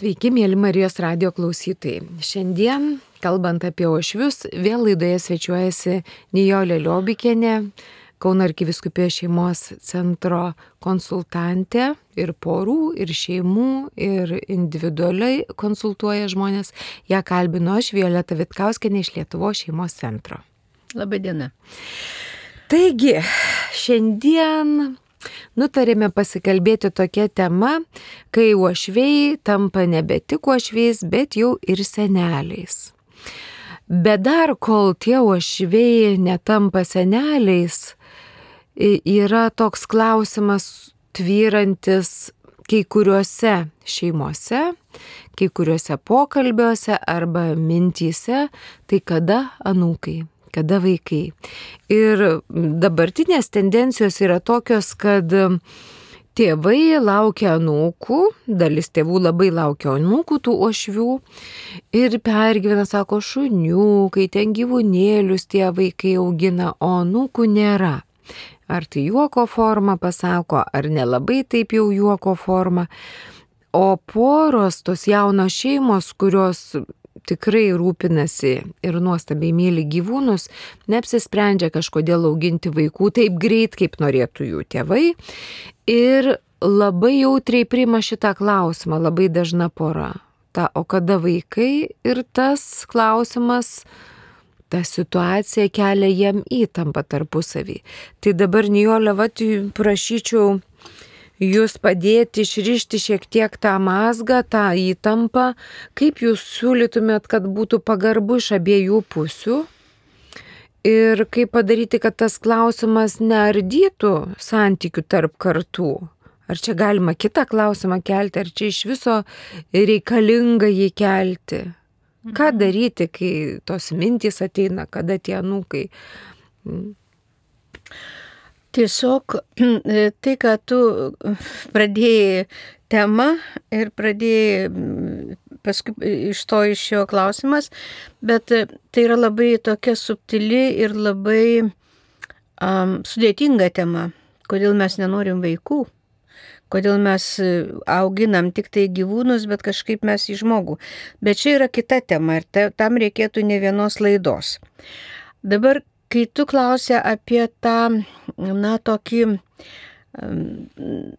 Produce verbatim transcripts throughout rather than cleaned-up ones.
Sveiki, mėly Marijos radijo klausytojai. Šiandien, kalbant apie uošvius, vėl laidoje svečiuojasi Nijolė Liobikienė, Kauno arkivyskupijos šeimos centro konsultantė ir porų, ir šeimų, ir individualiai konsultuoja žmonės. Ja kalbinu aš, Violeta Vitkauskienė iš Lietuvos šeimos centro. Labadiena. Taigi, šiandien nutarėme pasikalbėti tokia tema, kai uošviai tampa nebe tik uošviais, bet jau ir seneliais. Bet dar kol tie uošviai netampa seneliais, yra toks klausimas tvyrantis kai kuriuose šeimose, kai kuriuose pokalbiuose arba mintyse, tai kada anūkai, kada vaikai. Ir dabartinės tendencijos yra tokios, kad tėvai laukia anūkų, dalis tėvų labai laukia anūkų, tų uošvių, ir pergyvena, sako, šuniukai, ten gyvūnėlius tie vaikai augina, o anūkų nėra. Ar tai juoko forma pasako, ar nelabai taip jau juoko forma. O poros, tos jaunos šeimos, kurios tikrai rūpinasi ir nuostabiai myli gyvūnus, neapsisprendžia kažkodėl auginti vaikų taip greit, kaip norėtų jų tėvai. Ir labai jautriai priima šitą klausimą, labai dažna pora. Ta, o kada vaikai? Ir tas klausimas, ta situacija kelia jiem įtampą tarpusavį. Tai dabar, Nijolė, vat, prašyčiau jūs padėti išrišti šiek tiek tą mazgą, tą įtampą, kaip jūs siūlytumėt, kad būtų pagarbu iš abiejų pusių ir kaip padaryti, kad tas klausimas neardytų santykių tarp kartų. Ar čia galima kitą klausimą kelti, ar čia iš viso reikalinga jį kelti? Ką daryti, kai tos mintys ateina, kada tie anūkai? Tiesiog tai, kad tu pradėjai temą ir pradėjai paskui iš to išėjo klausimas, bet tai yra labai tokia subtili ir labai um, sudėtinga tema, kodėl mes nenorim vaikų. Kodėl mes auginam tik tai gyvūnus, bet kažkaip mes į žmogų. Bet čia yra kita tema ir ta, tam reikėtų ne vienos laidos. Dabar, kai tu klausi apie tą, na, tokį um,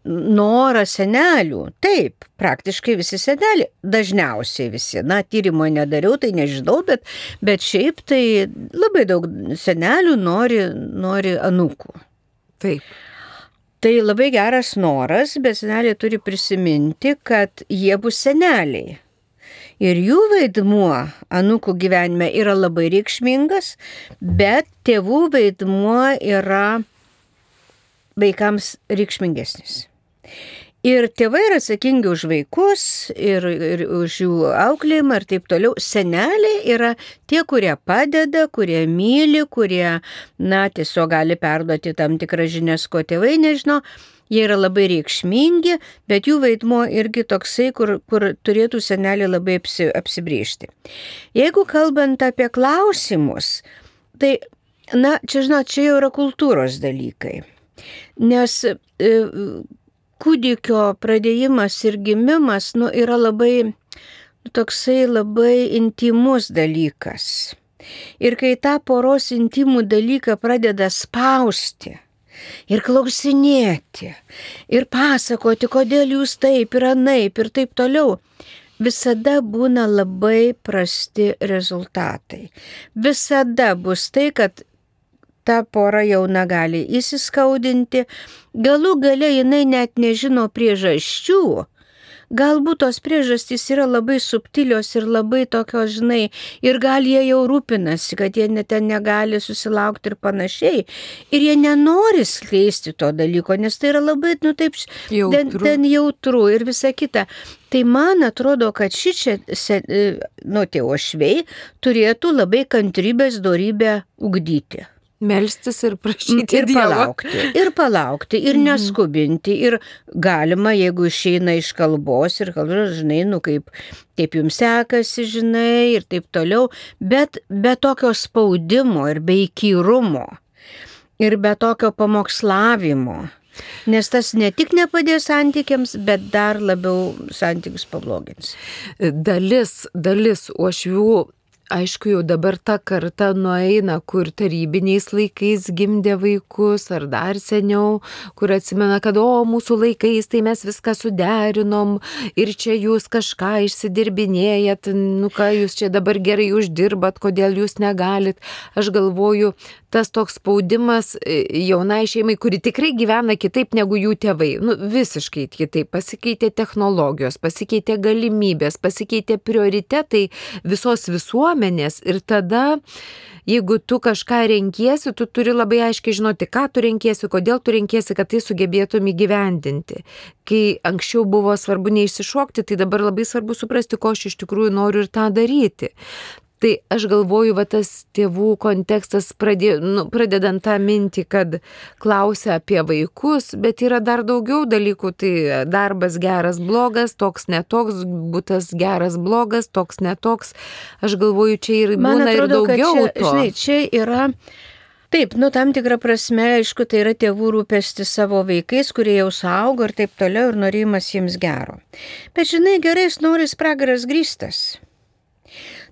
norą senelių, taip, praktiškai visi seneliai, dažniausiai visi, na, tyrimo nedariau, tai nežinau, bet, bet šiaip tai labai daug senelių nori, nori anūkų. Taip. Tai labai geras noras, bet seneliai turi prisiminti, kad jie bus seneliai. Ir jų vaidmuo anūkų gyvenime yra labai reikšmingas, bet tėvų vaidmuo yra vaikams reikšmingesnis. Ir tėvai yra atsakingi už vaikus ir, ir už jų auklėjimą ir taip toliau. Seneliai yra tie, kurie padeda, kurie myli, kurie, na, tiesiog gali perduoti tam tikrą žinias, ko tėvai nežino. Jie yra labai reikšmingi, bet jų vaidmuo irgi toksai, kur, kur turėtų seneliai labai apsi, apsibrėžti. Jeigu kalbant apie klausimus, tai, na, čia, žinot, čia jau yra kultūros dalykai. Nes e, kūdikio pradėjimas ir gimimas, nu, yra labai, toksai labai intimus dalykas. Ir kai tą poros intimų dalyką pradeda spausti ir klausinėti, ir pasakoti, kodėl jūs taip ir anaip ir taip toliau, visada būna labai prasti rezultatai. Visada bus tai, kad ta pora jauna gali įsiskaudinti, galų gale jinai net nežino priežasčių, galbūt tos priežastys yra labai subtilios ir labai tokios, žinai, ir gal jie jau rūpinasi, kad jie net ten negali susilaukti ir panašiai, ir jie nenori skleisti to dalyko, nes tai yra labai, nu taip, jautru. Ten, ten jautru ir visa kita. Tai man atrodo, kad šičia, nu, tie uošviai turėtų labai kantrybės dorybę ugdyti. Melstis ir prašyti ir palaukti, ir palaukti, ir neskubinti, ir galima, jeigu išeina iš kalbos ir kalbos, žinai, nu kaip, kaip jums sekasi, žinai, ir taip toliau, bet be tokio spaudimo ir be įkyrumo, ir be tokio pamokslavimo, Nes tas ne tik nepadės santykiams, bet dar labiau santykius pablogins. Dalis, dalis uošvių, aišku, jau dabar ta karta nueina, kur tarybiniais laikais gimdė vaikus, ar dar seniau, kur atsimena, kad o, mūsų laikais tai mes viską suderinom ir čia jūs kažką išsidirbinėjat, nu ką jūs čia dabar gerai uždirbat, kodėl jūs negalit. Aš galvoju, tas toks spaudimas jaunai šeimai, kuri tikrai gyvena kitaip negu jų tėvai, nu visiškai kitaip, pasikeitė technologijos, pasikeitė galimybės, pasikeitė prioritetai visos visuomenės ir tada, jeigu tu kažką renkiesi, tu turi labai aiškiai žinoti, ką tu renkiesi, kodėl tu renkiesi, kad tai sugebėtum įgyvendinti. Kai anksčiau buvo svarbu neišsišokti, tai dabar labai svarbu suprasti, ko aš iš tikrųjų noriu ir tą daryti. Tai aš galvoju, va tas tėvų kontekstas, pradė, nu, pradedant tą mintį, kad klausia apie vaikus, bet yra dar daugiau dalykų, tai darbas geras, blogas, toks netoks, būtas geras, blogas, toks netoks. Aš galvoju, čia ir būna atrodo, ir daugiau čia, to. Žinai, čia yra... Taip, nu tam tikrą prasme, aišku, tai yra tėvų rūpestis savo vaikais, kurie jau suaugo ir taip toliau ir norėjimas jiems gero. Bet žinai, gerais norais pragaras grįstas.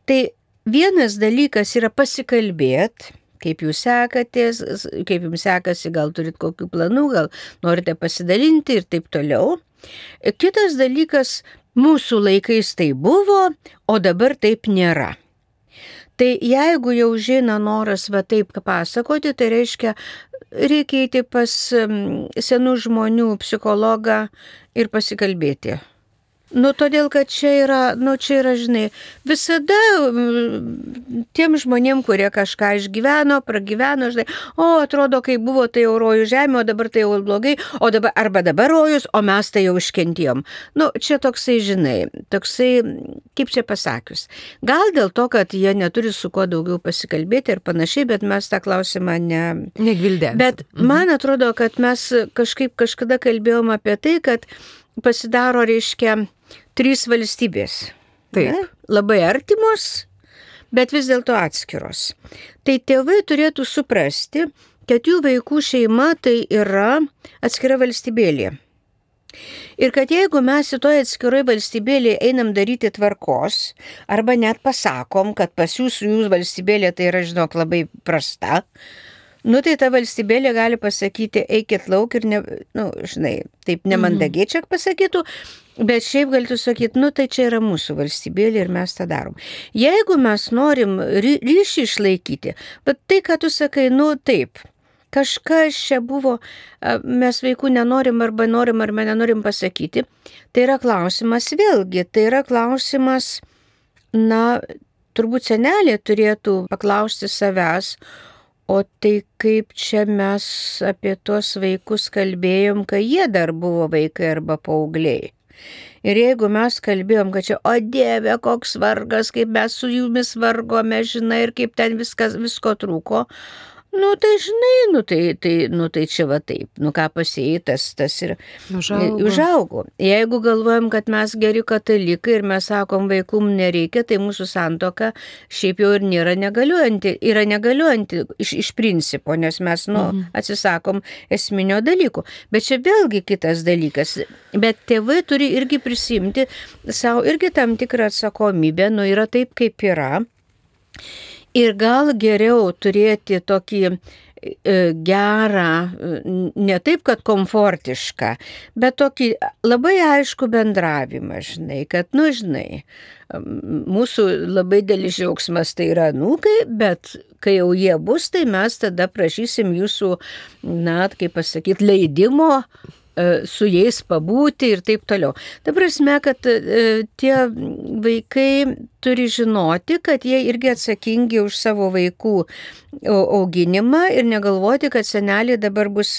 Tai vienas dalykas yra pasikalbėti, kaip jūs sekatės, kaip jums sekasi, gal turit kokių planų, gal norite pasidalinti ir taip toliau. Kitas dalykas, mūsų laikais tai buvo, o dabar taip nėra. Tai jeigu jau žina noras va taip pasakoti, tai reiškia, reikia eiti pas senų žmonių psichologą ir pasikalbėti. Nu, todėl, kad čia yra, nu, čia yra, žinai, visada tiem žmonėm, kurie kažką išgyveno, pragyveno, žinai, o, atrodo, kai buvo tai jau rojų žemė, o dabar tai jau blogai, o dabar, arba dabar rojus, o mes tai jau iškentėjom. Nu, čia toksai, žinai, toksai, kaip čia pasakius. Gal dėl to, kad jie neturi su kuo daugiau pasikalbėti ir panašiai, bet mes tą klausimą ne... Negvildėsim. Bet man atrodo, kad mes kažkaip kažkada kalbėjom apie tai, kad pasidaro, reiškia, trys valstybės. Taip. Ne? Labai artimos, bet vis dėlto atskiros. Tai tėvai turėtų suprasti, kad jų vaikų šeima tai yra atskira valstybėlė. Ir kad jeigu mes į toje atskiroje valstybėlėje einam daryti tvarkos, arba net pasakom, kad pas jūs jūsų valstybėlė tai yra, žinok, labai prasta, nu tai ta valstybėlė gali pasakyti, eikit lauk ir, ne, nu, žinai, taip nemandagiai čia pasakytų, bet šiaip galėtų sakyti, nu tai čia yra mūsų valstybėlė ir mes tą darom. Jeigu mes norim ry- ryšį išlaikyti, bet tai, ką tu sakai, nu taip, kažkas čia buvo, mes vaikų nenorim arba norim arba nenorim pasakyti, tai yra klausimas vėlgi, tai yra klausimas, na, turbūt senelė turėtų paklausti savęs, o tai kaip čia mes apie tuos vaikus kalbėjom, kai jie dar buvo vaikai arba paaugliai. Ir jeigu mes kalbėjom, kad čia, o Dieve, koks vargas, kaip mes su jumis vargome, žinai, ir kaip ten viskas, visko trūko, nu tai žinai, nu tai, tai, nu tai čia va taip, nu ką pasėjai, tas, tas ir Užaugo. užaugo. Jeigu galvojam, kad mes geri katalikai ir mes sakom, vaikum nereikia, tai mūsų santuoka šiaip jau ir nėra negaliuojanti, yra negaliuojanti iš, iš principo, nes mes, nu, mhm. atsisakom esminio dalyko. Bet čia vėlgi kitas dalykas. Bet tėvai turi irgi prisimti savo irgi tam tikrą atsakomybę, nu yra taip, kaip yra. Ir gal geriau turėti tokį e, gerą, ne taip, kad komfortišką, bet tokį labai aišku bendravimą, žinai, kad, nu, žinai, mūsų labai dėlis džiaugsmas tai yra anūkai, bet kai jau jie bus, tai mes tada prašysim jūsų, na, kaip pasakyti, leidimo su jais pabūti ir taip toliau. Ta prasme, kad e, tie vaikai turi žinoti, kad jie irgi atsakingi už savo vaikų auginimą ir negalvoti, kad seneliai dabar bus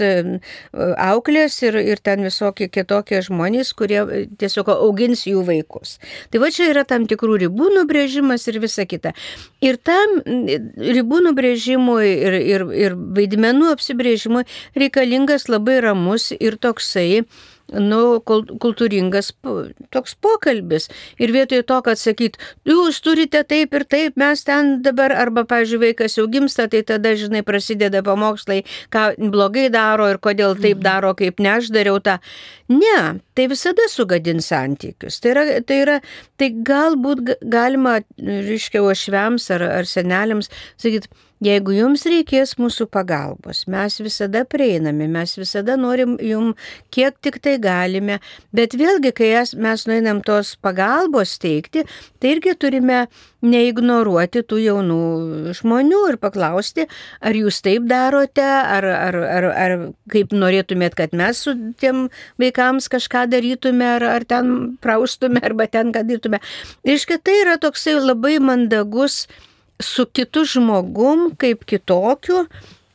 auklės ir, ir ten visokie kitokie žmonės, kurie tiesiog augins jų vaikus. Tai va čia yra tam tikrų ribų nubrėžimas ir visa kita. Ir tam ribų nubrėžimui ir, ir, ir vaidmenų apsibrėžimui reikalingas labai ramus ir toksai nu, kultūringas toks pokalbis. Ir vietoj to, kad sakyt, jūs turite taip ir taip, mes ten dabar, arba, pavyzdžiui, vaikas jau gimsta, tai tada, žinai, prasideda pamokslai, ką blogai daro ir kodėl taip daro, kaip ne aš dariau tą. Ne, tai visada sugadins santykius. Tai yra, tai yra, tai galbūt galima, reiškia, uošviams ar, ar seneliams sakyti, jeigu jums reikės mūsų pagalbos, mes visada prieiname, mes visada norim jum, kiek tik tai galime, bet vėlgi, kai mes nueinam tos pagalbos teikti, tai irgi turime neignoruoti tų jaunų žmonių ir paklausti, ar jūs taip darote, ar, ar, ar, ar kaip norėtumėt, kad mes su tiem vaikams kažką darytume, ar, ar ten praustume, arba ten ką darytume. Reiškia, tai yra toksai labai mandagus su kitu žmogum, kaip kitokiu,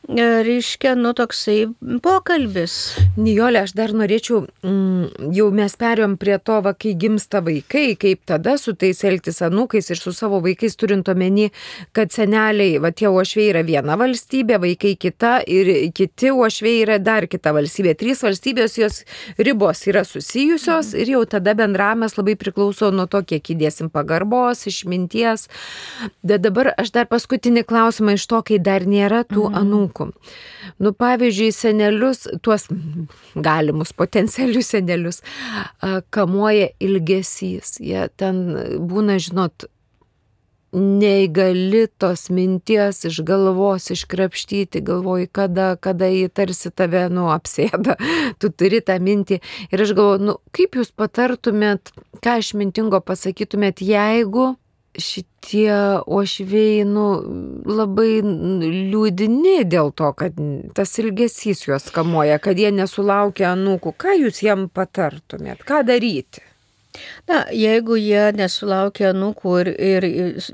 reiškia, nu, toksai pokalbis. Nijolė, aš dar norėčiau, mm, jau mes perėjom prie to, va, kai gimsta vaikai, kaip tada su tais elgtis anūkais ir su savo vaikais, turint omeny, kad seneliai, va, tie uošviai yra viena valstybė, vaikai kita ir kiti uošviai yra dar kita valstybė. Trys valstybės, jos ribos yra susijusios ir jau tada bendravimas labai priklauso nuo to, kiek įdėsim pagarbos, išminties. Bet dabar aš dar paskutinį klausimą iš to, kai dar nėra tų mhm. anūkų. Nu, pavyzdžiui, senelius, tuos galimus potencialius senelius, kamuoja ilgesys. Jie ten būna, žinot, neįgali tos minties iš galvos iškrapštyti, galvoji, kada, kada jį tarsi tave, nu, apsėda, tu turi tą mintį. Ir aš galvoju, nu, kaip jūs patartumėt, ką išmintingo pasakytumėt, jeigu šitie uošviai, nu, labai liūdini dėl to, kad tas ilgesys juos kamuoja, kad jie nesulaukia anūkų. Ką jūs jiem patartumėt? Ką daryti? Na, jeigu jie nesulaukia anūkų ir, ir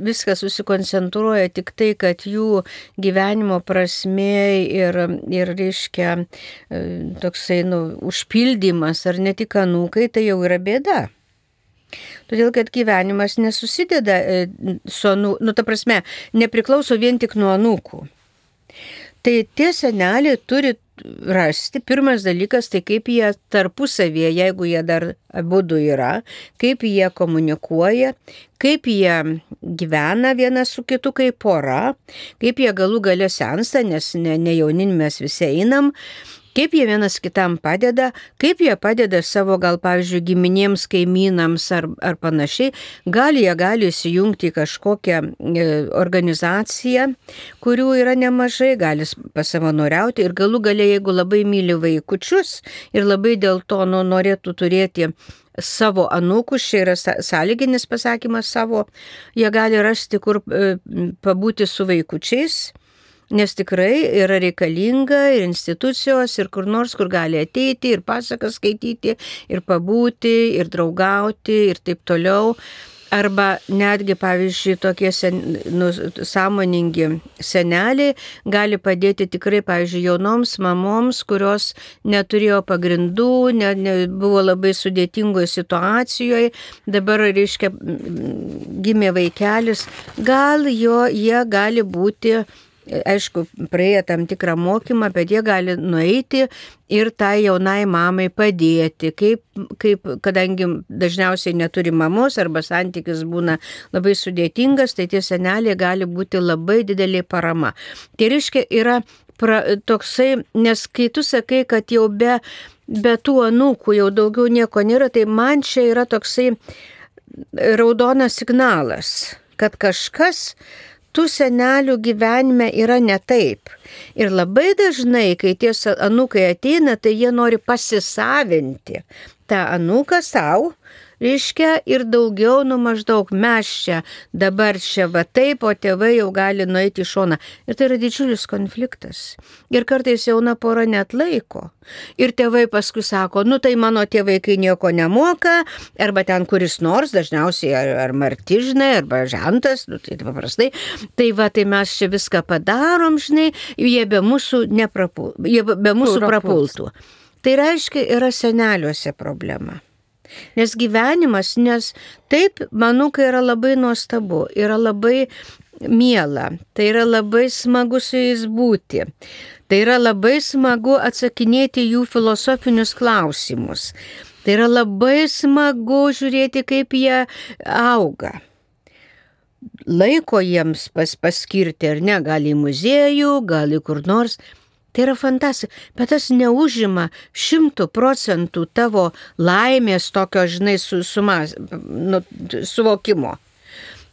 viskas susikoncentruoja tik tai, kad jų gyvenimo prasmė ir, ir reiškia, toksai, nu, užpildymas ar ne tik anūkai, tai jau yra bėda. Todėl, kad gyvenimas nesusideda su anūkų, nu, ta prasme, nepriklauso vien tik nuo anūkų. Tai tie seneliai turi rasti, pirmas dalykas, tai kaip jie tarpusavėje, jeigu jie dar abudu yra, kaip jie komunikuoja, kaip jie gyvena vienas su kitu kaip pora, kaip jie galų gale sensta, nes ne, ne jaunin mes visi einam, kaip jie vienas kitam padeda, kaip jie padeda savo, gal, pavyzdžiui, giminėms, kaimynams ar, ar panašiai. Gal jie gali įsijungti į kažkokią e, organizaciją, kurių yra nemažai, gali pasavanoriauti ir galų gale, jeigu labai myli vaikučius ir labai dėl to nu, norėtų turėti savo anūkus, čia yra sąlyginis pasakymas savo, jie gali rasti, kur e, pabūti su vaikučiais. Nes tikrai yra reikalinga ir institucijos, ir kur nors, kur gali ateiti, ir pasakas skaityti, ir pabūti, ir draugauti, ir taip toliau. Arba netgi, pavyzdžiui, tokie sen, nu, sąmoningi seneliai gali padėti tikrai, pavyzdžiui, jaunoms mamoms, kurios neturėjo pagrindų, ne, ne, buvo labai sudėtingoje situacijoje, dabar, reiškia, gimė vaikelis, gal jo, jie gali būti, aišku, praėję tam tikrą mokymą, bet jie gali nueiti ir tai jaunai mamai padėti, kaip, kaip, kadangi dažniausiai neturi mamos arba santykis būna labai sudėtingas, tai tie seneliai gali būti labai didelė parama. Tai reiškia, yra pra, toksai, nes kai tu sakai, kad jau be, be tų anūkų jau daugiau nieko nėra, tai man čia yra toksai raudonas signalas, kad kažkas tų senelių gyvenime yra ne taip. Ir labai dažnai, kai tie anūkai ateina, tai jie nori pasisavinti tą anūką savo, reiškia, ir daugiau, nu maždaug mes čia, dabar čia va taip, o tėvai jau gali nueiti į šoną. Ir tai yra didžiulis konfliktas. Ir kartais jauna pora net laiko. Ir tėvai paskui sako, nu tai mano tėvai, kai nieko nemoka, arba ten kuris nors, dažniausiai ar, ar martižnai, arba žentas, nu tai paprastai, tai va, tai mes čia viską padarom, žinai, jie be mūsų, neprapul, jie be mūsų prapultų. Tai reiškia, yra seneliuose problema. Nes gyvenimas, nes taip, manau, kai yra labai nuostabu, yra labai miela, tai yra labai smagu su jais būti. Tai yra labai smagu atsakinėti jų filosofinius klausimus. Tai yra labai smagu žiūrėti, kaip jie auga. Laiko jiems pas, paskirti, ar ne, gal į muziejų, gal į kur nors. Tai yra fantastika, bet tas neužima šimtų procentų tavo laimės tokio, žinai, su, sumas, nu, suvokimo.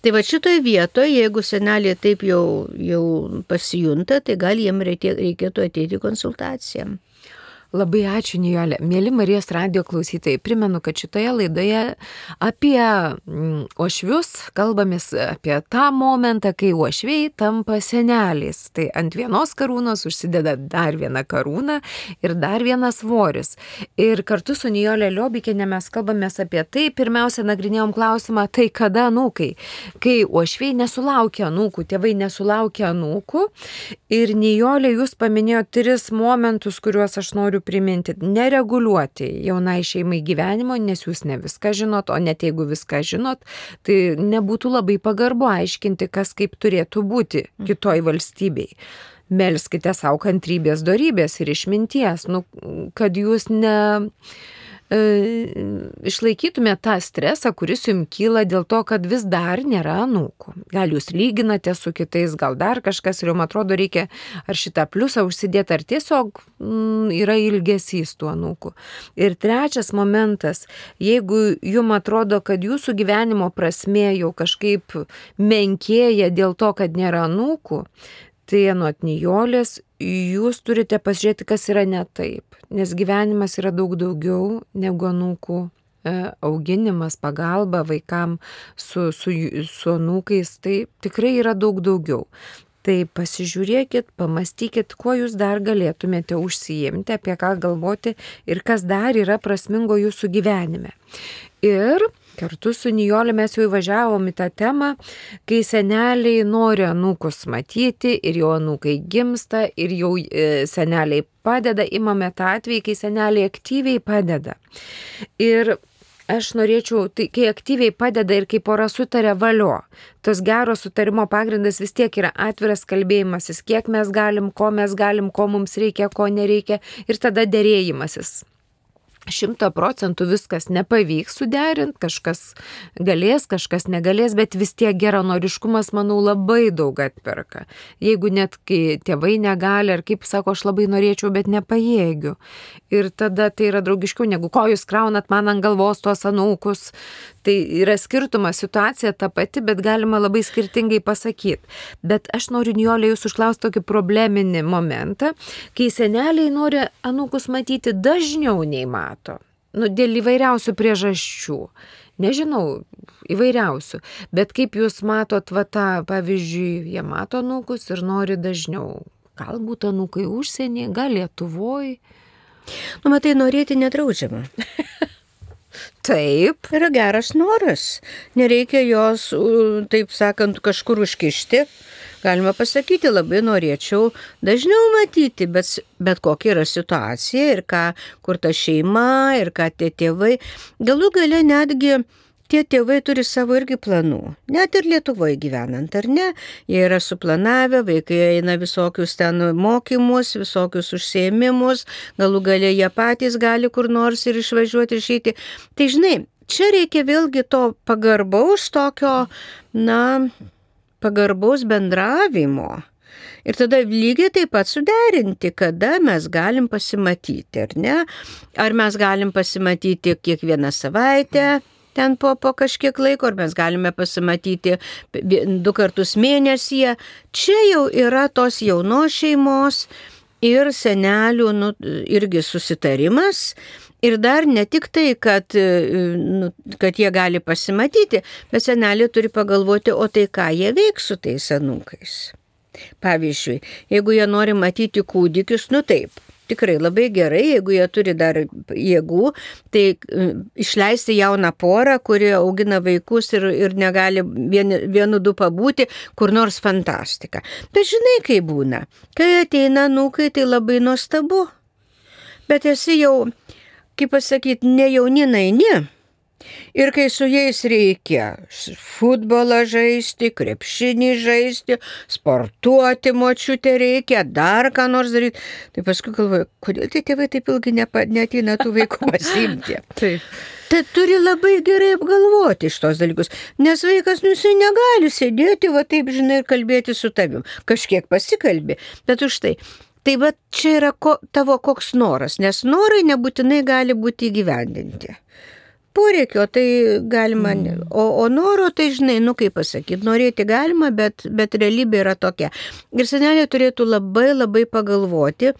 Tai va šitoje vietoje, jeigu senelė taip jau, jau pasijunta, tai gal jiem reikėtų ateiti konsultacijam. Labai ačiū, Nijolė. Mėly Marijos radijo klausytojai, primenu, kad šitoje laidoje apie uošvius kalbamės apie tą momentą, kai uošviai tampa seneliais. Tai ant vienos karūnos užsideda dar viena karūna ir dar vienas svoris. Ir kartu su Nijolė Liobikienė mes kalbamės apie tai. Pirmiausia, nagrinėjom klausimą, tai kada anūkai? Kai uošviai nesulaukia anūkų, tėvai nesulaukia anūkų. Ir Nijolė, jūs paminėjote tris momentus, kuriuos aš noriu priminti. Nereguliuoti jaunai šeimai gyvenimo, nes jūs ne viską žinot, o net jeigu viską žinot, tai nebūtų labai pagarbu aiškinti, kas kaip turėtų būti kitoj valstybei. Melskite savo kantrybės, dorybės ir išminties, nu, kad jūs ne... išlaikytume tą stresą, kuris jums kyla dėl to, kad vis dar nėra anūkų. Gal jūs lyginate su kitais, gal dar kažkas ir jums atrodo reikia ar šitą pliusą užsidėti, ar tiesiog mm, yra ilgesys tų anūkų. Ir trečias momentas, jeigu jums atrodo, kad jūsų gyvenimo prasmė jau kažkaip menkėja dėl to, kad nėra anūkų, tai anot Nijolės, jūs turite pasižiūrėti, kas yra ne taip. Nes gyvenimas yra daug daugiau negu anūkų auginimas, pagalba vaikam su, su, su anūkais. Tai tikrai yra daug daugiau. Tai pasižiūrėkit, pamastykit, kuo jūs dar galėtumėte užsiimti, apie ką galvoti ir kas dar yra prasmingo jūsų gyvenime. Ir kartu su Nijolė mes jau įvažiavom į tą temą, kai seneliai nori anūkus matyti ir jau anūkai gimsta ir jau seneliai padeda, imame tą atvejį, kai seneliai aktyviai padeda. Ir aš norėčiau, tai kai aktyviai padeda ir kai pora sutarė valio, tos gero sutarimo pagrindas vis tiek yra atviras kalbėjimasis, kiek mes galim, ko mes galim, ko mums reikia, ko nereikia ir tada derėjimasis. Šimto procentų viskas nepavyks suderinti, kažkas galės, kažkas negalės, bet vis tiek geranoriškumas, manau, labai daug atperka. Jeigu net kai tėvai negali, ar kaip sako, aš labai norėčiau, bet nepajėgiu. Ir tada tai yra draugiškiau, negu ko jūs kraunat man ant galvos tuos anūkus. Tai yra skirtumas, situacija ta pati, bet galima labai skirtingai pasakyti. Bet aš noriu, Nijolė, jūs užklausti tokį probleminį momentą, kai seneliai nori anūkus matyti dažniau nei mato. Nu, dėl įvairiausių priežasčių. Nežinau, įvairiausių. Bet kaip jūs matot, va tą, pavyzdžiui, jie mato anūkus ir nori dažniau. Galbūt anūkai užsienį, gal Lietuvoj. Nu, matai, norėti nedraudžiama. Taip. Yra geras noras. Nereikia jos, taip sakant, kažkur užkišti. Galima pasakyti, labai norėčiau dažniau matyti, bet, bet kokia yra situacija ir ką, kur ta šeima ir ką tie tėvai. Galų gale netgi tie tėvai turi savo irgi planų. Net ir Lietuvoje gyvenant, ar ne? Jie yra suplanavę, vaikai eina visokius ten mokymus, visokius užsiėmimus, galų gale jie patys gali kur nors ir išvažiuoti, išeiti. Tai žinai, čia reikia vėlgi to pagarbaus tokio, na, pagarbaus bendravimo. Ir tada lygiai taip pat suderinti, kada mes galim pasimatyti, ar ne? Ar mes galim pasimatyti kiekvieną savaitę, ten po, po kažkiek laiko, ar mes galime pasimatyti du kartus mėnesyje. Čia jau yra tos jaunos šeimos ir senelių, nu, irgi susitarimas. Ir dar ne tik tai, kad, nu, kad jie gali pasimatyti, bet seneliai turi pagalvoti, o tai ką jie veiks su tais anūkais. Pavyzdžiui, jeigu jie nori matyti kūdikius, nu taip, tikrai labai gerai, jeigu jie turi dar jėgų, tai išleisti jauną porą, kuri augina vaikus ir, ir negali vien, vienu du pabūti, kur nors fantastika. Bet žinai, kaip būna, kai ateina anūkai, tai labai nuostabu. Bet esi jau, kaip pasakyti, ne jauninai, ne. Ir kai su jais reikia futbolą žaisti, krepšinį žaisti, sportuoti močiutė reikia, dar ką nors daryti, tai paskui galvoju, kodėl tie tėvai taip ilgai nepa, neateina tų vaikų pasiimti. Taip. Tai turi labai gerai apgalvoti šitos dalykus, nes vaikas, nu, jisai negali sėdėti, va taip, žinai, ir kalbėti su tavim. Kažkiek pasikalbė, bet už tai. Tai va čia yra ko, tavo koks noras, nes norai nebūtinai gali būti įgyvendinti. Poreikio tai galima, mm. o, o noro tai, žinai, nu kaip pasakyti, norėti galima, bet, bet realybė yra tokia. Ir seneliai turėtų labai labai pagalvoti,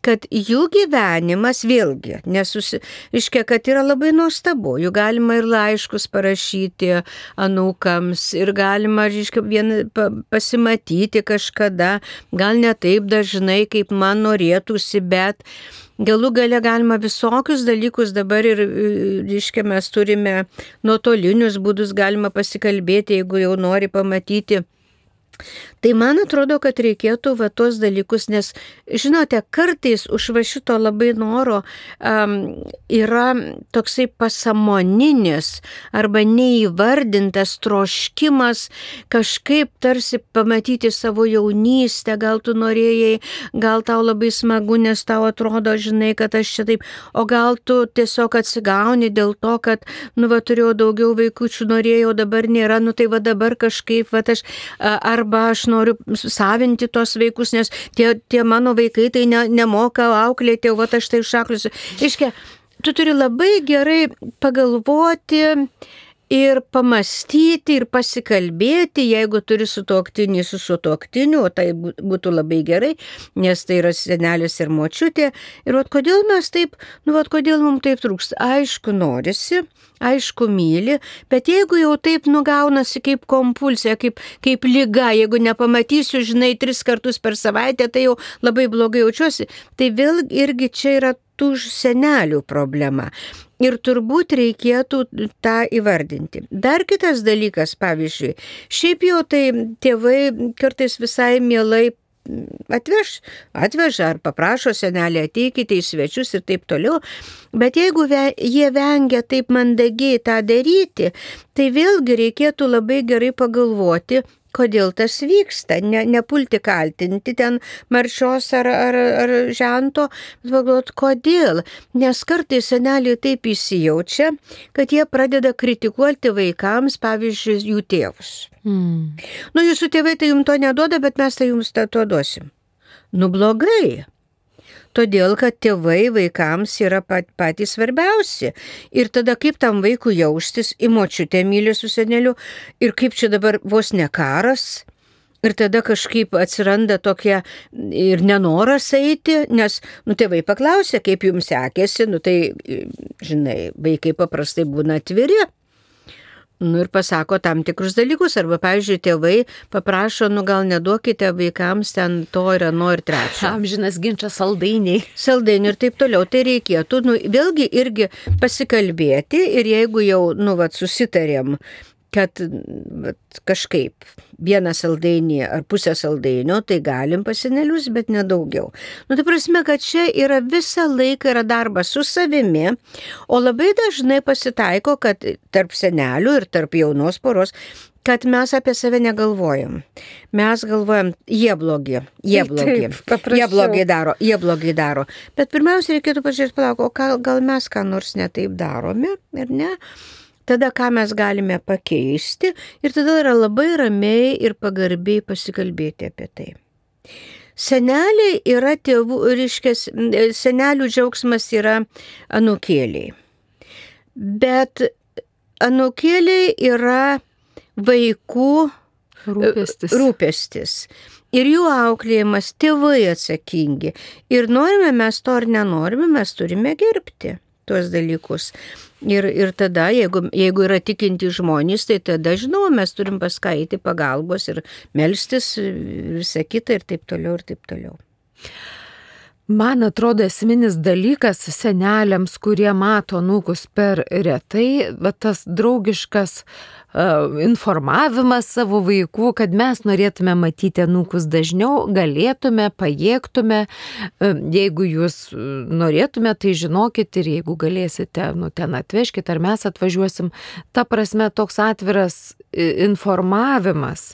kad jų gyvenimas vėlgi, nesusi... Iškia, kad yra labai nuostabu, jų galima ir laiškus parašyti anūkams, ir galima, iškia, vien pasimatyti kažkada, gal ne taip dažnai, kaip man norėtųsi, bet galų gale galima visokius dalykus dabar ir, iškia, mes turime nuotolinius būdus, galima pasikalbėti, jeigu jau nori pamatyti. Tai man atrodo, kad reikėtų va tos dalykus, nes, žinote, kartais už va šito labai noro um, yra toksai pasamoninis arba neįvardintas troškimas kažkaip tarsi pamatyti savo jaunystę, gal tu norėjai, gal tau labai smagu, nes tau atrodo, žinai, kad aš čia taip, o gal tu tiesiog atsigauni dėl to, kad, nu, va, turėjau daugiau vaikučių, norėjau, dabar nėra, nu, tai va dabar kažkaip, va, aš, arba aš noriu savinti tos vaikus, nes tie, tie mano vaikai tai ne, nemoka auklėti, o va aš tai šakliusiu. Iškia, tu turi labai gerai pagalvoti ir pamastyti ir pasikalbėti, jeigu turi sutuoktinį su sutuoktiniu, o tai būtų labai gerai, nes tai yra senelis ir močiutė. Ir vat kodėl mes taip, nu vat kodėl mums taip trūksta? Aišku, norisi, aišku, myli, bet jeigu jau taip nugaunasi kaip kompulsija, kaip, kaip liga, jeigu nepamatysiu, žinai, tris kartus per savaitę, tai jau labai blogai jaučiuosi, tai vėl irgi čia yra tų senelių problema. Ir turbūt reikėtų tą įvardinti. Dar kitas dalykas, pavyzdžiui, šiaip jau tai tėvai kartais visai mielai atveš, atveža ar paprašo senelį, ateikite į svečius ir taip toliau, bet jeigu ve, jie vengia taip mandagiai tą daryti, tai vėlgi reikėtų labai gerai pagalvoti, kodėl tas vyksta, ne, nepulti kaltinti ten marčios ar, ar, ar žento, bet pagalvoti, kodėl, nes kartais seneliai taip įsijaučia, kad jie pradeda kritikuoti vaikams, pavyzdžiui, jų tėvus. Mm. Nu, jūsų tėvai tai jums to neduoda, bet mes tai jums to duosim. Nu, blogai. Todėl, kad tėvai vaikams yra pat, patys svarbiausi. Ir tada kaip tam vaikui jaustis, į močiutę myli su seneliu, ir kaip čia dabar vos ne karas. Ir tada kažkaip atsiranda tokia ir nenoras eiti, nes, nu, tėvai paklausė, kaip jums sekėsi, nu, tai, žinai, vaikai paprastai būna atviri. Nu ir pasako tam tikrus dalykus, arba, pavyzdžiui, tėvai paprašo, nu gal neduokite vaikams ten to ir ano ir trečio. Amžinas ginčas saldainiai. Saldainiai ir taip toliau. Tai reikėtų, nu, vėlgi irgi pasikalbėti ir jeigu jau, nu, vat, susitarėm, kad vat, kažkaip vieną saldainį ar pusę saldainio, tai galim pas senelius, bet nedaugiau. Nu, tai prasme, kad čia yra visą laiką yra darbas su savimi, o labai dažnai pasitaiko, kad tarp senelių ir tarp jaunos poros, kad mes apie save negalvojam. Mes galvojam, jie blogi, jie blogi, taip, jie blogai daro, jie blogai daro. Bet pirmiausia, reikėtų pažiūrėti, palauk, o gal, gal mes ką nors netaip darome, ar ne? Tada ką mes galime pakeisti ir tada yra labai ramiai ir pagarbiai pasikalbėti apie tai. Seneliai yra tėvų, reiškės, senelių džiaugsmas yra anūkėliai. Bet anūkėliai yra vaikų rūpestis. rūpestis. Ir jų auklėjimas, tėvai atsakingi. Ir norime mes to ar nenorime, mes turime gerbti tuos dalykus. Ir, ir tada, jeigu, jeigu yra tikinti žmonės, tai tada, žinoma, mes turim paskaiti pagalbos ir melstis, visą kitą ir taip toliau, ir taip toliau. Man atrodo, esminis dalykas seneliams, kurie mato anūkus per retai, va tas draugiškas uh, informavimas savo vaikų, kad mes norėtume matyti anūkus dažniau, galėtume, pajėgtume. Uh, jeigu jūs norėtume, tai žinokit ir jeigu galėsite, nu ten atvežkite ar mes atvažiuosim. Ta prasme, toks atviras informavimas.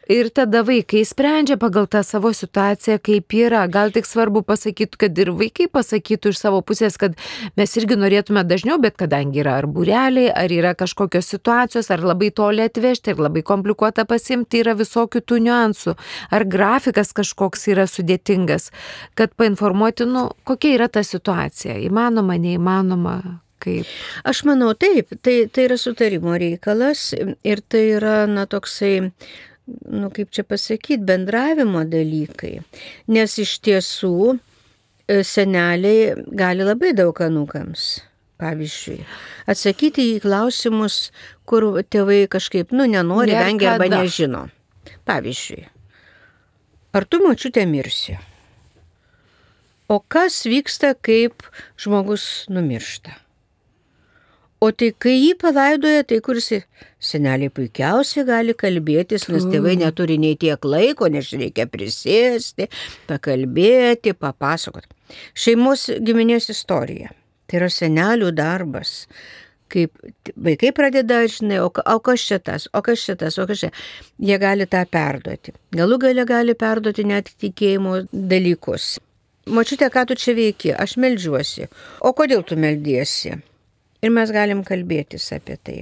Ir tada vaikai sprendžia pagal tą savo situaciją, kaip yra. Gal tik svarbu pasakyti, kad ir vaikai pasakytų iš savo pusės, kad mes irgi norėtume dažniau, bet kadangi yra ar būreliai, ar yra kažkokios situacijos, ar labai toli atvežti, ar labai komplikuota pasimti, yra visokių tų niuansų. Ar grafikas kažkoks yra sudėtingas, kad painformuoti, nu, kokia yra ta situacija. Įmanoma, neįmanoma. Kaip? Aš manau, taip, tai, tai yra sutarimo reikalas ir tai yra, na, toksai, nu, kaip čia pasakyti, bendravimo dalykai. Nes iš tiesų seneliai gali labai daug anūkams. Pavyzdžiui, atsakyti į klausimus, kur tėvai kažkaip, nu, nenori, vengia arba nežino. Pavyzdžiui, ar tu, močiutė, mirsi? O kas vyksta, kaip žmogus numiršta? O tai kai jį palaidoja, tai kur jis, seneliai puikiausiai gali kalbėtis, nes tėvai neturi nei tiek laiko, nes reikia prisėsti, pakalbėti, papasakoti. Šeimos giminės istorija. Tai yra senelių darbas. Kaip vaikai pradeda, žinai, o, o kas čia tas, o kas čia tas, o kas čia. Jie gali tą perduoti. Galų gale gali perduoti net tikėjimo dalykus. Močiutė, ką tu čia veiki? Aš meldžiuosi. O kodėl tu meldiesi? Ir mes galim kalbėtis apie tai.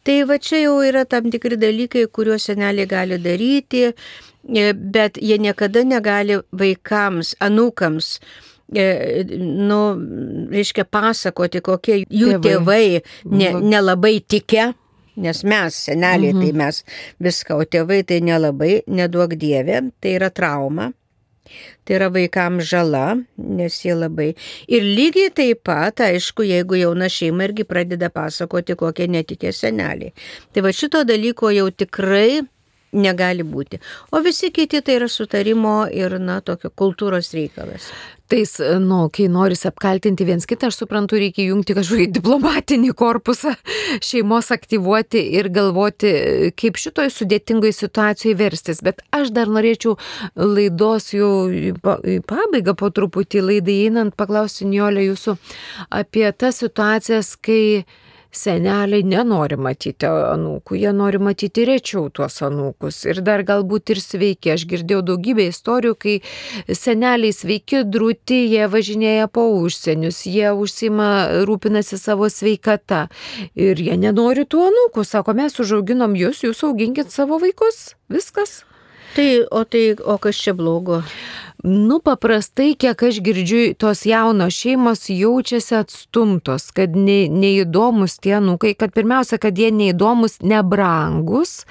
Tai va čia jau yra tam tikri dalykai, kuriuos seneliai gali daryti, bet jie niekada negali vaikams, anūkams, nu, reiškia, pasakoti, kokie jų tėvai nelabai ne tikę, nes mes, seneliai, mhm. tai mes viską, o tėvai tai nelabai, neduok Dieve, tai yra trauma. Tai yra vaikams žala, nes jie labai. Ir lygiai taip pat, aišku, jeigu jauna šeima irgi pradeda pasakoti, kokie netikė seneliai. Tai va šito dalyko jau tikrai negali būti. O visi kiti tai yra sutarimo ir, na, tokio kultūros reikalas. Tais, nu, kai norisi apkaltinti viens kitą, aš suprantu, reikia jungti kažkokį diplomatinį korpusą, šeimos aktyvuoti ir galvoti, kaip šitoj sudėtingoj situacijoje verstis. Bet aš dar norėčiau laidos jau į pabaigą po truputį laidai einant paklausti, Nijole, jūsų apie tas situacijas, kai seneliai nenori matyti anūkų, jie nori matyti rečiau tuos anūkus ir dar galbūt ir sveiki. Aš girdėjau daugybę istorijų, kai seneliai sveiki, drūti, jie važinėja po užsienius, jie užsima, rūpinasi savo sveikata ir jie nenori tų anūkų. Sako, mes užauginom jūs, jūs auginkit savo vaikus, viskas. Tai, o tai, o kas čia blogo? Nu, paprastai, kiek aš girdžiu, tos jaunos šeimos jaučiasi atstumtos, kad ne, neįdomus tie anūkai, kad pirmiausia, kad jie neįdomus, nebrangus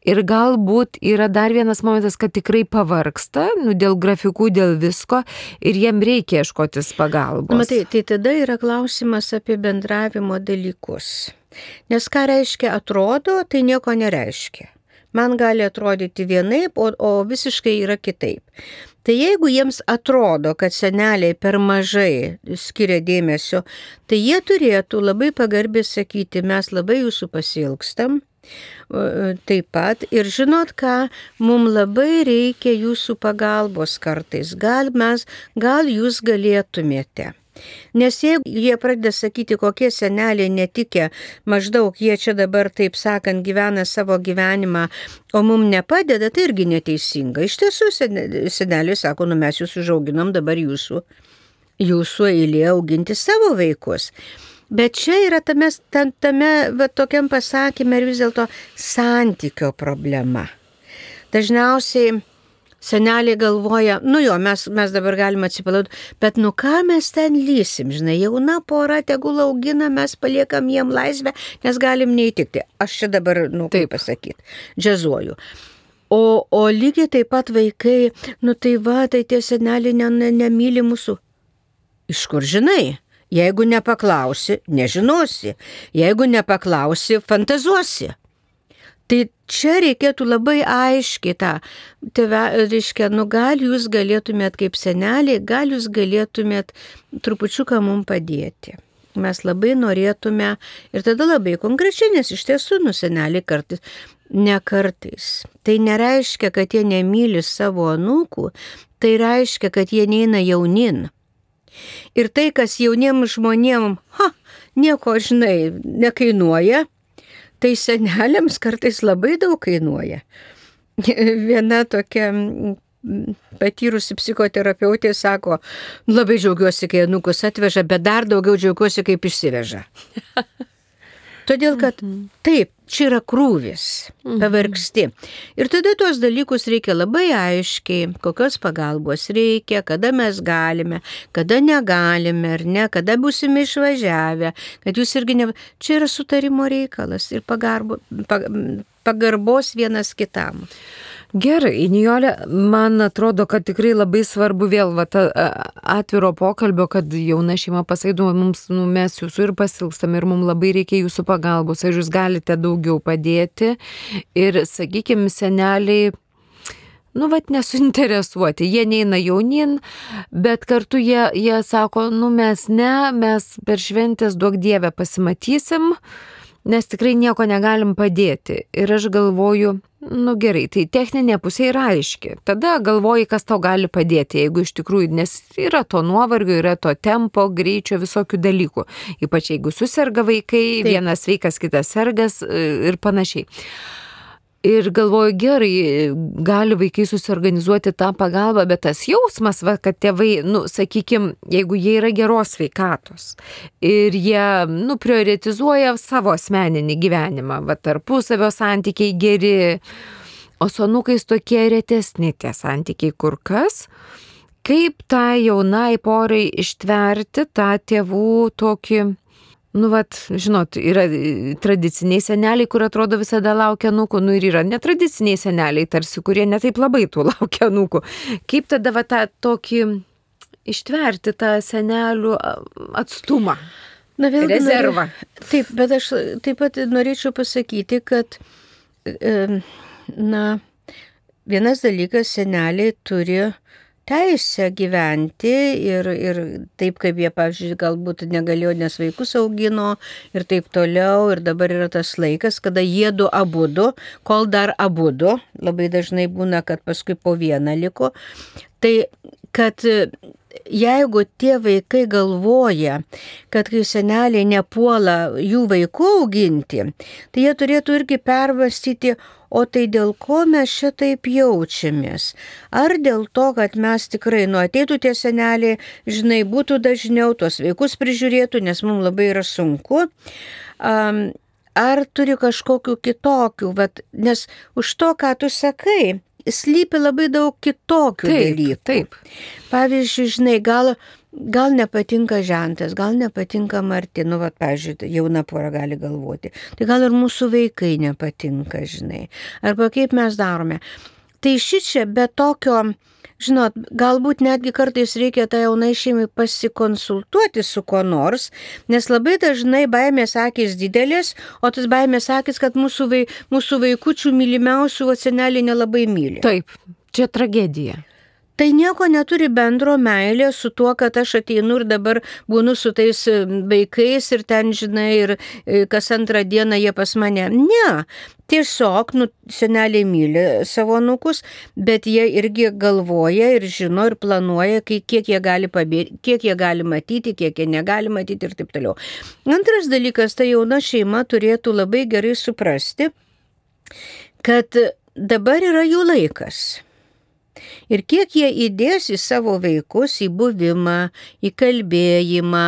ir galbūt yra dar vienas momentas, kad tikrai pavargsta, nu, dėl grafikų, dėl visko ir jiem reikia ieškotis pagalbos. Matai, tai tada yra klausimas apie bendravimo dalykus. Nes ką reiškia atrodo, tai nieko nereiškia. Man gali atrodyti vienaip, o, o visiškai yra kitaip. Tai jeigu jiems atrodo, kad seneliai per mažai skiria dėmesio, tai jie turėtų labai pagarbiai sakyti, mes labai jūsų pasiilgstam, taip pat ir žinot ką, mums labai reikia jūsų pagalbos kartais, gal mes, gal jūs galėtumėte. Nes jeigu jie pradeda sakyti, kokie seneliai netikė, maždaug jie čia dabar, taip sakant, gyvena savo gyvenimą, o mums nepadeda, tai irgi neteisinga. Iš tiesų, seneliai sako, nu mes jūs užauginom, dabar jūsų, jūsų eilė auginti savo vaikus. Bet čia yra tame, tame va, tokiam pasakymė ir vis dėlto santykio problema. Dažniausiai seneliai galvoja, nu jo, mes, mes dabar galime atsipalauti, bet nu ką mes ten lysim, žinai, jauna pora, tegul augina, mes paliekam jiem laisvę, nes galim neįtikti. Aš čia dabar, nu kaip pasakyti, džiazuoju. O, o lygiai taip pat vaikai, nu tai va, tai tie seneliai ne, ne, nemyli mūsų. Iš kur žinai? Jeigu nepaklausi, nežinosi. Jeigu nepaklausi, fantazuosi. Tai čia reikėtų labai aiškiai tą, tėve, reiškia, nu gal jūs galėtumėt kaip seneliai, gal jūs galėtumėt trupučiuką mums padėti. Mes labai norėtume ir tada labai konkrečiai, nes iš tiesų, nu seneliai kartais, ne kartais. Tai nereiškia, kad jie nemyli savo anūkų, tai reiškia, kad jie neina jaunin. Ir tai, kas jauniems žmonėms, ha, nieko, žinai, nekainuoja, tai seneliams kartais labai daug kainuoja. Viena tokia patyrusi psichoterapeutė sako, labai džiaugiuosi, kai anūkus atveža, bet dar daugiau džiaugiuosi, kaip išsiveža. Todėl, kad taip, čia yra krūvis, pavargsti. Ir tada tuos dalykus reikia labai aiškiai, kokios pagalbos reikia, kada mes galime, kada negalime, ar ne, kada būsime išvažiavę, kad jūs irgi ne... Čia yra sutarimo reikalas ir pagarbo, pagarbos vienas kitam. Gerai, Nijole, man atrodo, kad tikrai labai svarbu vėl va, ta, atviro pokalbio, kad jauna šeima pasaido, mums, nu, mes jūsų ir pasilgstam ir mums labai reikia jūsų pagalbos, ar jūs galite daugiau padėti ir, sakykime, seneliai, nu, vat nesuinteresuoti, jie neina jaunin, bet kartu jie, jie sako, nu, mes ne, mes per šventės duok Dievę pasimatysim, nes tikrai nieko negalim padėti. Ir aš galvoju, nu gerai, tai techninė pusė yra aiški. Tada galvoji, kas tau gali padėti, jeigu iš tikrųjų, nes yra to nuovargio, yra to tempo, greičio, visokių dalykų. Ypač jeigu suserga vaikai, taip, vienas sveikas, kitas sergas ir panašiai. Ir galvoju, gerai, gali vaikai susiorganizuoti tą pagalbą, bet tas jausmas, va, kad tėvai, nu, sakykime, jeigu jie yra geros sveikatos ir jie, nu, prioritizuoja savo asmeninį gyvenimą, va, tarpusavio santykiai geri, o su anūkais tokie retesni tie santykiai kur kas, kaip tą jaunai porai ištverti tą tėvų tokį, nu, vat, žinot, yra tradiciniai seneliai, kur atrodo visada laukia anūkų, nu ir yra netradiciniai seneliai, tarsi, kurie netaip labai tų laukia anūkų. Kaip tada va tą tokį ištverti tą senelių atstumą, na, vėlgi, rezervą? Nori, taip, bet aš taip pat norėčiau pasakyti, kad, na, vienas dalykas, seneliai turi teisę gyventi ir, ir taip, kaip jie, pavyzdžiui, galbūt negalėjo, nes vaikus augino ir taip toliau. Ir dabar yra tas laikas, kada jie du abudu, kol dar abudu, labai dažnai būna, kad paskui po vieną liko. Tai, kad jeigu tie vaikai galvoja, kad kai seneliai nepuola jų vaikų auginti, tai jie turėtų irgi permąstyti, o tai dėl ko mes šitaip jaučiamės? Ar dėl to, kad mes tikrai, nu, ateitų tie seneliai, žinai, būtų dažniau, tuos vaikus prižiūrėtų, nes mums labai yra sunku, um, ar turi kažkokių kitokių, vat, nes už to, ką tu sakai, slypi labai daug kitokių taip, dalykų. Taip. Pavyzdžiui, žinai, gal, gal nepatinka žentas, gal nepatinka Marti, nu, vat, pavyzdžiui, jauna pora gali galvoti. Tai gal ir mūsų vaikai nepatinka, žinai. Arba kaip mes darome. Tai šičia be tokio, žinot, galbūt netgi kartais reikia tą jaunai šeimai pasikonsultuoti su kuo nors, nes labai dažnai baimės akys didelės, o tas baimės akys, kad mūsų, vai, mūsų vaikučių mylimiausių seneliai nelabai myli. Taip, čia tragedija. Tai nieko neturi bendro meilė su tuo, kad aš ateinu ir dabar būnu su tais vaikais ir ten, žinai, ir kas antrą dieną jie pas mane. Ne, tiesiog, nu, seneliai myli savo anūkus, bet jie irgi galvoja ir žino ir planuoja, kiek jie gali pabėgti, kiek jie gali matyti, kiek jie negali matyti ir taip toliau. Antras dalykas, ta jauna šeima turėtų labai gerai suprasti, kad dabar yra jų laikas. Ir kiek jie įdės į savo vaikus, į buvimą, į kalbėjimą,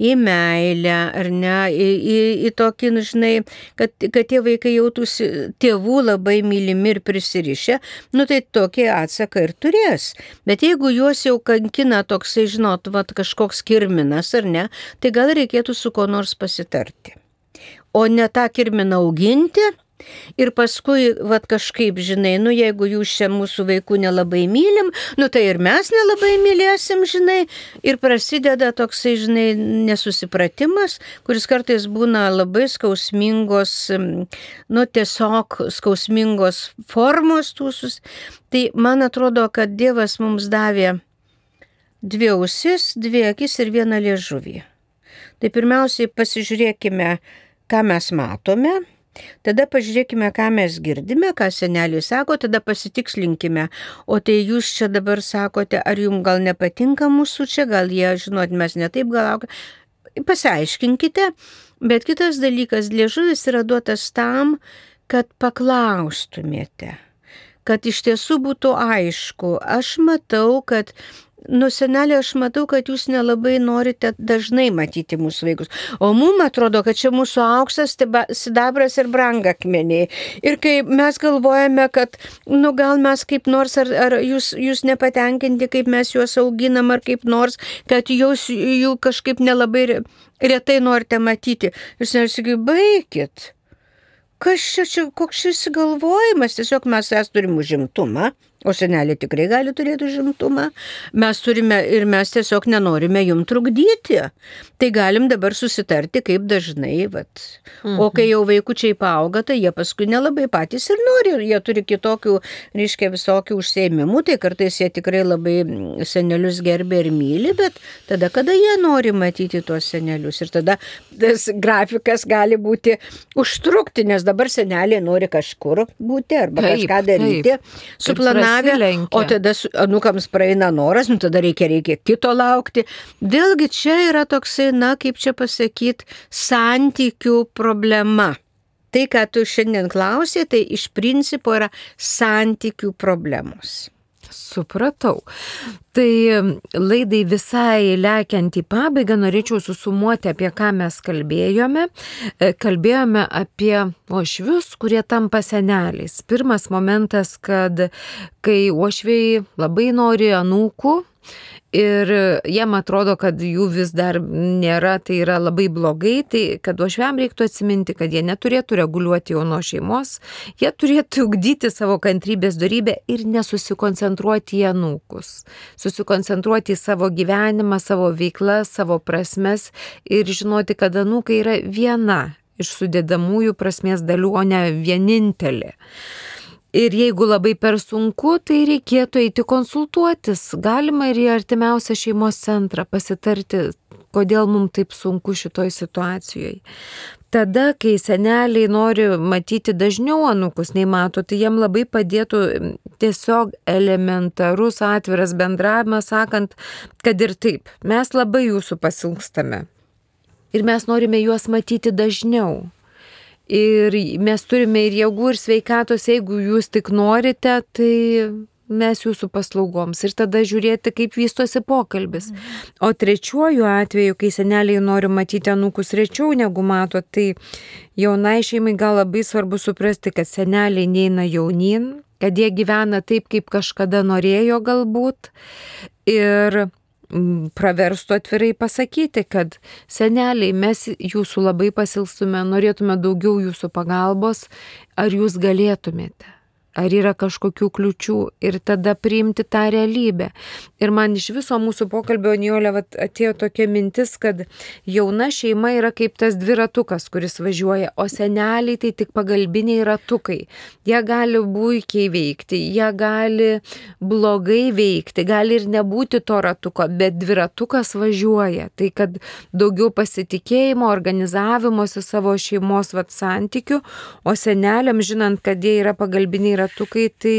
į meilę, ar ne, į, į, į tokį, žinai, kad, kad tie vaikai jautųsi tėvų labai mylimi ir prisirišę, nu tai tokį atsaką ir turės. Bet jeigu juos jau kankina toksai, žinot, vat, kažkoks kirminas, ar ne, tai gal reikėtų su ko nors pasitarti. O ne tą kirminą auginti Ir paskui, vat kažkaip, žinai, nu jeigu jūs čia mūsų vaikų nelabai mylim, nu tai ir mes nelabai mylėsim, žinai. Ir prasideda toksai, žinai, nesusipratimas, kuris kartais būna labai skausmingos, nu tiesiog skausmingos formos tūsus. Tai man atrodo, kad Dievas mums davė dvi ausis, dvi akis ir vieną liežuvį. Tai pirmiausiai pasižiūrėkime, ką mes matome. Tada pažiūrėkime, ką mes girdime, ką seneliai sako, tada pasitikslinkime. O tai jūs čia dabar sakote, ar jums gal nepatinka mūsų čia, gal jie, žinot, mes netaip gal... Pasiaiškinkite, bet kitas dalykas, liežuvis yra duotas tam, kad paklaustumėte, kad iš tiesų būtų aišku. Aš matau, kad Nu, senelė, aš matau, kad jūs nelabai norite dažnai matyti mūsų vaikus. O mums atrodo, kad čia mūsų auksas, sidabras ir brangakmeniai. Ir kai mes galvojame, kad, nu, gal mes kaip nors, ar, ar jūs, jūs nepatenkinti, kaip mes juos auginam, ar kaip nors, kad jūs jų kažkaip nelabai retai norite matyti. Jūs nesakai, baikit. Kas čia, čia, koks šis galvojimas? Tiesiog mes es turim užimtumą. O senelė tikrai gali turėti užimtumą. Mes turime ir mes tiesiog nenorime jum trukdyti. Tai galim dabar susitarti, kaip dažnai. Vat. Mhm. O kai jau vaikučiai paauga, tai jie paskui nelabai patys ir nori. Jie turi kitokių, reiškia, visokių užsiėmimų. Tai kartais jie tikrai labai senelius gerbė ir myli, bet tada, kada jie nori matyti tuos senelius. Ir tada tas grafikas gali būti užtrukti, nes dabar seneliai nori kažkur būti arba taip, kažką daryti. Suplanavę. O tada anukams praeina noras, nu tada reikia, reikia kito laukti. Vėlgi čia yra toksai, na, kaip čia pasakyti, santykių problema. Tai, ką tu šiandien klausė, tai iš principo yra santykių problemos. Supratau. Tai laidai visai lekiant į pabaigą norėčiau susumuoti, apie ką mes kalbėjome. Kalbėjome apie uošvius, kurie tampa seneliais. Pirmas momentas, kad kai uošviai labai nori anūkų, ir jiem atrodo, kad jų vis dar nėra, tai yra labai blogai, tai kad uošviam reiktų atsiminti, kad jie neturėtų reguliuoti jaunos šeimos, jie turėtų ugdyti savo kantrybės dorybę ir nesusikoncentruoti į anūkus. Susikoncentruoti į savo gyvenimą, savo veiklas, savo prasmes ir žinoti, kad anūkai yra viena iš sudėdamųjų prasmės dalių, o ne vienintelė. Ir jeigu labai per sunku, tai reikėtų eiti konsultuotis. Galima ir į artimiausią šeimos centrą pasitarti, kodėl mums taip sunku šitoj situacijoje. Tada, kai seneliai nori matyti dažniau anūkus nei mato, tai jiem labai padėtų tiesiog elementarus atviras bendravimas, sakant, kad ir taip, mes labai jūsų pasilgstame. Ir mes norime juos matyti dažniau. Ir mes turime ir jėgų, ir sveikatos, jeigu jūs tik norite, tai mes jūsų paslaugoms. Ir tada žiūrėti, kaip vystosi pokalbis. O trečiuoju atveju, kai seneliai nori matyti anūkus rečiau negu mato, tai jaunai šeimai gal labai svarbu suprasti, kad seneliai neina jaunin, kad jie gyvena taip, kaip kažkada norėjo galbūt. Ir praverstų atvirai pasakyti, kad seneliai, mes jūsų labai pasilstume, norėtume daugiau jūsų pagalbos, ar jūs galėtumėte, ar yra kažkokių kliučių ir tada priimti tą realybę. Ir man iš viso mūsų pokalbio, Nijolė, atėjo tokia mintis, kad jauna šeima yra kaip tas dviratukas, kuris važiuoja, o seneliai tai tik pagalbiniai ratukai. Jie gali puikiai veikti, jie gali blogai veikti, gali ir nebūti to ratuko, bet dviratukas važiuoja. Tai kad daugiau pasitikėjimo, organizavimosi savo šeimos vat santykių, o seneliam, žinant, kad jie yra pagalbiniai ratukai, tai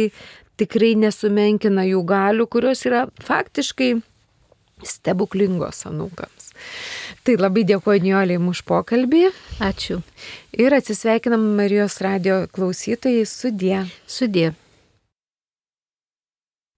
tikrai nesumenkina jų galių, kurios yra faktiškai stebuklingos anūkams. Tai labai dėkoju Nijolei už pokalbį. Ačiū. Ir atsisveikinam Marijos radijo klausytojai. Sudie. Sudie.